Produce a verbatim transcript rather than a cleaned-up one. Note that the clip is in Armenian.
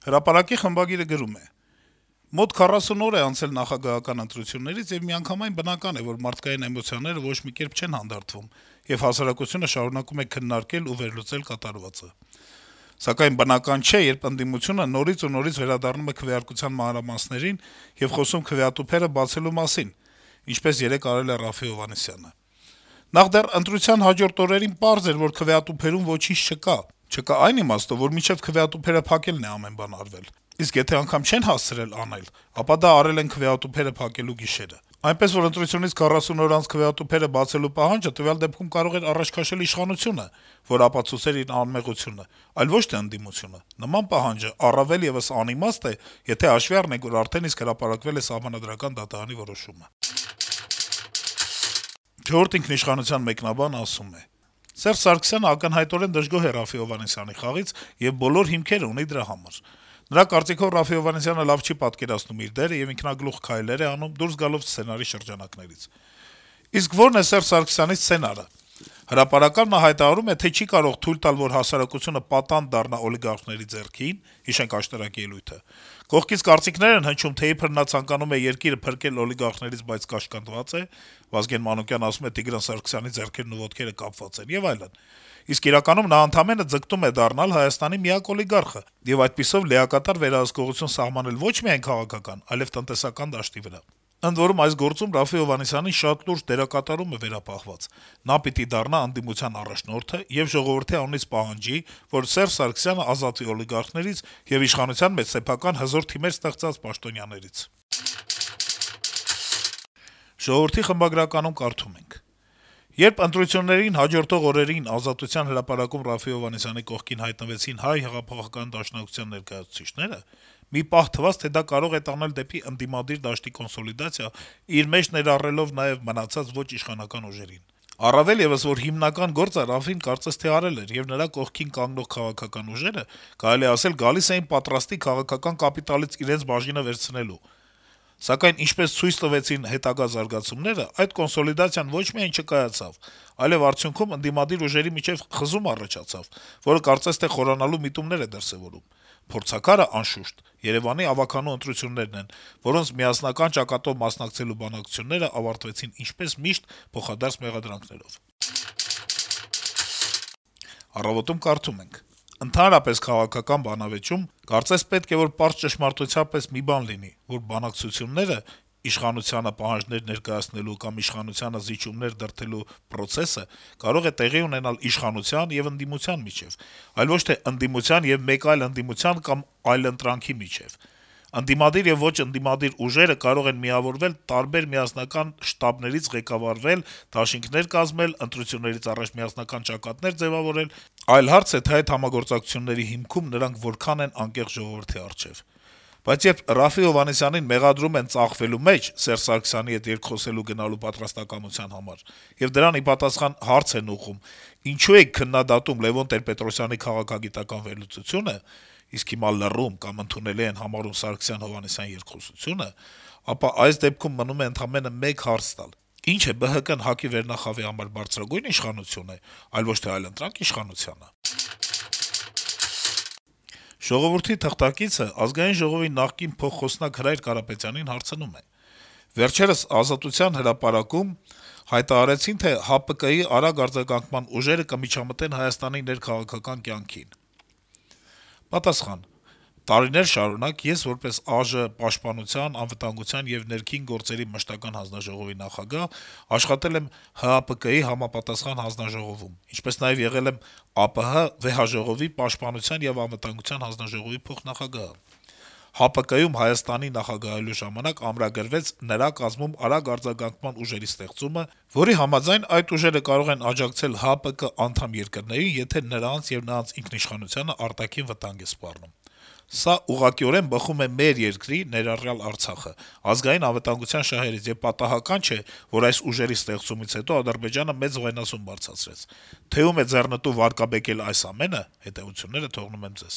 Հրապարակի խմբագիրը գրում է. - «Մոտ քառասուն օր է անցել նախագահական ընտրություններից, եւ միանգամայն բնական է, որ մարդկային էմոցիաները ոչ մի կերպ չեն հանդարտվում, եւ հասարակությունը շարունակում է քննարկել ու վերլուծել կատարվածը: Սակայն բնական չէ, երբ ընդդիմությունը նորից ու նորից վերադառնում է քվեարկության մանրամասներին եւ խոսում քվեատուփերը բացելու մասին, ինչպես երեկ արել է Րաֆֆի Հովհաննիսյանը: Նախ դեռ ընտրության հաջորդ օրերին պարզ էր, որ քվեատուփերում ոչինչ չկա: Չկա այն իմաստով, որ մինչեւ քվեատուփերը փակելն է ամեն բան արվել: Իսկ եթե անգամ չեն հասցրել անել, ապա դա արել են քվեատուփերը փակելու գիշերը: Այնպես որ ընտրությունից քառասուն օր անց քվեատուփերը բացելու պահանջը տվյալ դեպքում կարող էր առաջ քաշել իշխանությունը, որ ապացուցեր իր անմեղությունը, այլ ոչ թե ընդդիմությունը: Նման պահանջը առավել եւս անիմաստ է, եթե հաշվի առնենք, որ արդեն իսկ հրապարակվել է Սահմանադրական դատարանի որոշումը»: «Չորրորդ ինքնիշխանության» մեկնաբանը ասում է. - «Սերժ Սարգսյանը ակնհայտորեն դժգոհ է Րաֆֆի Հովհաննիսյանի խաղից եւ բոլոր հիմքերը ունի դրա համար: Նրա կարծիքով Րաֆֆի Հովհաննիսյանը լավ չի պատկերացնում իր դերը եւ ինքնագլուխ քայլեր է անում՝ դուրս գալով սցենարի շրջանակներից: Իսկ ո՞րն է Սերժ Սարգսյանի սցենարը: Հրապարական նա հայտարարում է, թե չի կարող թույլ տալ, որ հասարակությունը պատանդ դառնա օլիգարխների ձեռքին (հիշենք աշտարակ ելույթը): Կողքից կարծիքներ են հնչում, թե իբր նա ցանկանում է երկիրը փրկել օլիգարխներից, բայց կաշկանդված է (Վազգեն Մանուկյանը ասում է՝ Տիգրան Սարգսյանի ձեռքերն ու ոտքերը կապված են) եւ այլն: Իսկ իրականում նա ընդամենը ձգտում է դառնալ Հայաստանի միակ օլիգարխը եւ այդպիսով լիակատար վերահսկողություն սահմանել ոչ միայն քաղաքական, այլեւ տնտեսական դաշտի վրա: Ընդ որում, այս գործում Րաֆֆի Հովհաննիսյանի շատ լուրջ դերակատարում է վերապահված: Նա պիտի դառնա ընդդիմության առաջնորդը եւ ժողովրդի անունից պահանջի, որ Սերժ Սարգսյանը ազատվի օլիգարխներից եւ իշխանության մեջ սեփական հզոր թիմեր ստեղծած պաշտոնյաներից»: «Ժողովուրդ»-ի խմբագրականում կարդում ենք. - «Երբ ընտրություններին հաջորդող օրերին Ազատության հրապարակում Րաֆֆի Հովհաննիսյանի կողքին հայտնվեցին Հայ հեղափոխական դաշնակցության ներկայացուցիչները, մի պահ թվաց, թե դա կարող է տանել դեպի ընդդիմադիր դաշտի կոնսոլիդացիա, իր մեջ ներառելով նաեւ մնացած ոչ իշխանական ուժերին: Առավել եւս, որ հիմնական գործը Րաֆֆին կարծես թե արել էր, եւ նրա կողքին կանգնող քաղաքական ուժերը, կարելի է ասել, գալիս էին պատրաստի քաղաքական կապիտալից իրենց բաժինը վերցնելու: Սակայն, ինչպես ցույց տվեցին հետագա զարգացումները, այդ կոնսոլիդացիան ոչ միայն չկայացավ, այլեւ արդյունքում ընդդիմադիր ուժերի միջեւ խզում առաջացավ, որը կարծես թե խորանալու միտումներ է դրսեւորում: Փորձաքարը, անշուշտ, Երեւանի ավագանու ընտրություններն են, որոնց միասնական ճակատով մասնակցելու բանակցությունները ավարտվեցին ինչպես միշտ փոխադարձ մեղադրանքներով»: «Առավոտ»-ում կարդում ենք. - «Ընդհանրապես քաղաքական բանավեճում կարծես պետք է, որ պարզ ճշմարտության պես մի բան լինի, որ բանակցությունները, իշխանությանը պահանջներ ներկայացնելու կամ իշխանությանը զիջումներ դրդելու պրոցեսը կարող է տեղի ունենալ իշխանության եւ ընդդիմության միջեւ, այլ ոչ թե ընդդիմության եւ մեկ այլ ընդդիմության կամ այլընտրանքի միջեւ: Ընդդիմադիր եւ ոչ ընդդիմադիր ուժերը կարող են միավորվել, տարբեր միասնական շտաբներից ղեկավարվել, դաշինքներ կազմել, ընտրություններից առաջ միասնական ճակատներ ձեւավորել: Այլ հարց է, թե այդ համագործակցությունների հիմքում նրանք որքան են անկեղծ ժողովրդի առջեւ: Բայց երբ Րաֆֆի Հովհաննիսյանին մեղադրում են ծախվելու մեջ Սերժ Սարգսյանի հետ երկխոսելու գնալու պատրաստակամության համար, եւ դրան ի պատասխան հարց են ուղղում՝ ինչու եք քննադատում Լեւոն Տեր-Պետրոսյանի քաղաքագիտական վերլուծությունը, իսկ հիմա լռում կամ ընդունելի են համարում Սարգսյան-Հովհաննիսյան երկխոսությունը, ապա այս դեպքում մնում է ընդամենը մեկ հարց տալ՝ ի՞նչ է, ԲՀԿ-ն ՀԱԿ-ի վերնախավի համար բարձրագույն իշխանություն է, այլ ոչ թե այլընտրանք իշխանությա՞նը»: «Ժողովուրդ»-ի թղթակիցը Ազգային ժողովի նախկին փոխխոսնակ Հրայր Կարապետյանին հարցնում է. - «Վերջերս Ազատության հրապարակում հայտարարեցին, թե ՀԱՊԿ-ի արագ արձագանքման ուժերը կմիջամտեն Հայաստանի ներքաղաքական կյանքին»: Պատասխան. - «Տարիներ շարունակ ես, որպես ԱԺ պաշտպանության, անվտանգության եւ ներքին գործերի մշտական հանձնաժողովի նախագահ, աշխատել եմ ՀԱՊԿ-ի համապատասխան հանձնաժողովում, ինչպես նաեւ եղել եմ ԱՊՀ վեհաժողովի պաշտպանության եւ անվտանգության հանձնաժողովի փոխնախագահը: ՀԱՊԿ-ում Հայաստանի նախագահելու ժամանակ ամրագրվեց նրա կազմում արագ արձագանքման ուժերի ստեղծումը, որի համաձայն այդ ուժերը կարող են աջակցել ՀԱՊԿ անդամ երկրներին, եթե նրանց եւ նրանց ինքնիշխանությանը արտաքին վտանգ է սպառնում: Սա ուղղակիորեն բխում է մեր երկրի, ներառյալ Արցախը, ազգային անվտանգության շահերից, եւ պատահական չէ, որ այս ուժերի ստեղծումից հետո Ադրբեջանը մեծ վայնասուն բարձրացրեց: Թե ում է ձեռնտու վարկաբեկել այս ամենը, հետեւությունները թողնում եմ ձեզ»: